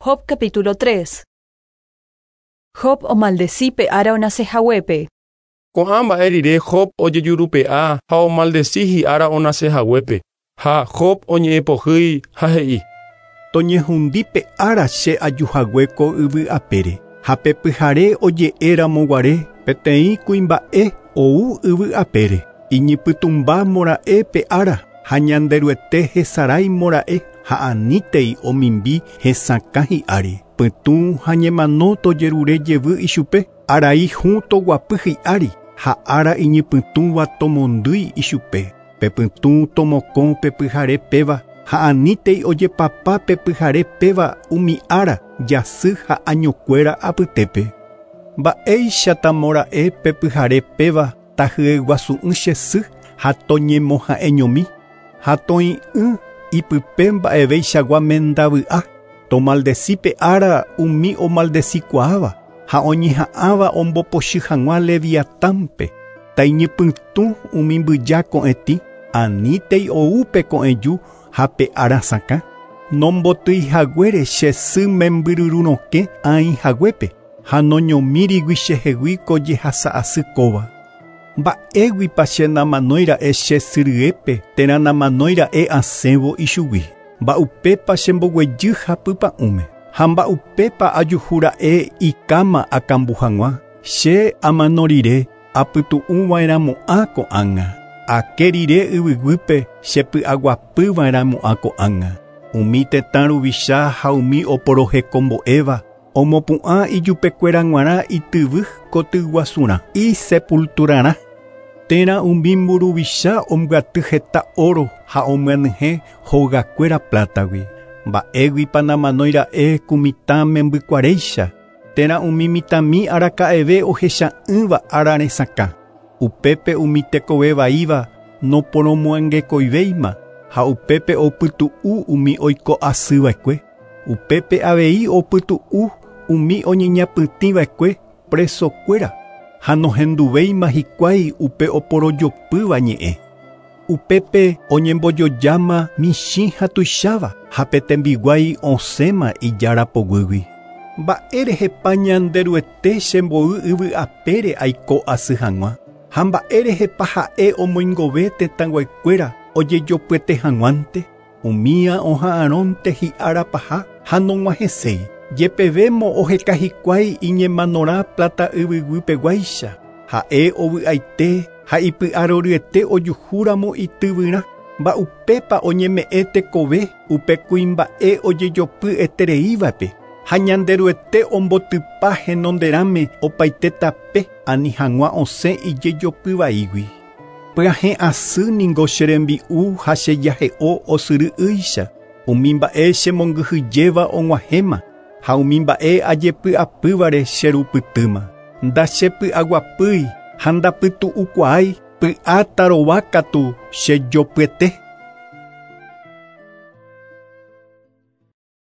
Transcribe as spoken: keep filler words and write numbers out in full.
Job capítulo tres. Job omaldeci pe ára onasehaguépe. Ko'ã mba'e rire Job ojejurupe'a ha omaldeci hi'ára onasehaguépe. Ha Job oñe'ẽpohýi ha he'i: Toñehundi pe ára che ajuhague ko yvy apére. Ha pe pyhare oje'éramoguare peteĩ kuimba'e ou yvy apére. Iñipytũmba mora'e pe ára ha Ñanderuete hesarái mora'e ha anítei omimbi hesakã hi'ári. Pytũ ha ñemano tojerure jevy ichupe, arai hũ toguapy hi'ári ha ára iñipytũva tomondýi ichupe. Pe pytũ tomokõ pe pyhare péva ha anítei ojepapa pe pyhare péva umi ára jasy ha añokuéra apytépe. Mba'éichata mora'e pe pyhare péva tahyeguasu'ỹ che sy ha toñemoha'eñomi ha toĩ'ỹ ipype mba'evéichagua mendavy'a. Tomaldeci pe ára umi omaldecikuaáva ha oñeha'ãva ombopochy hag̃ua Leviatánpe. Taiñepytũ umi mbyja ko'ẽtĩ anítei ou pe ko'ẽju ha pe ára sakã. Nombotýihaguére che sy membyryrurõke aĩhaguépe ha noñomírigui chehegui ko jehasa'asy kóva. Mba'éguipa che namanóira'e che sy ryépe térã namanóira'e asẽvo ichugui. Mba'upépa chemboguejy japypa'ũme ha mba'upépa ajuhúra'e ikáma akambu hag̃ua. Che amano rire apytu'ũva'erãmo'ã ko'ág̃a. Ake rire yvyguýpe chepy'aguapyva'erãmo'ã ko'ág̃a. Umi tetã ruvicha ha umi oporohekombo'éva omopu'ã ijupekuéra g̃uarã ityvy kotyguasurã isepulturarã. Térã umi mburuvicha ombyaty heta oro ha omyanyhẽ hogakuéra plátagui. Mba'éguipa namanóira'e ku mitã membykuaréicha térã umi mitãmi araka'eve ohecha'ỹva ára resakã. Upépe umi tekove vaíva noporomoangekoivéima ha upépe opytu'u umi oiko asyva'ekue. Upépe avei opytu'u umi oñeñapytĩva'ekue presokuéra ha nohenduvéima hikuái upe oporojopýva ñe'ẽ. Upépe oñembojojáma michĩ ha tuicháva ha pe tembiguái osẽma ijára poguýgui. Mba'érehepa Ñanderuete chembo'y yvy apére aiko asy hag̃ua ha mba'érehepa ha'e omoingove tetãnguaikuéra ojejopyete hag̃uánte. Umía oha'arõnte hi'ára paha ha nog̃uahẽséi. Jepevémo oheka hikuái iñemanorã plata yvyguýpeguáicha. Ha'e ovy'aite ha ipy'aroryete ojuhúramo ityvyrã. Mba'upépa oñeme'ẽ tekove upe kuimba'e ojejopy'etereívape ha Ñanderuete ombotypa henonderãme opaite tape ani hag̃ua osẽ ijejopyvaígui. Pyahẽ asy ningo che rembi'u ha che jahe'o osyry'ýicha. Umi mba'e chemongyhyjéva og̃uahẽma ha umi mba'e ajepy'apývare cherupytýma. Ndachepy'aguapýi ha ndapytu'ukuaái py'atarovákatu chejopyete.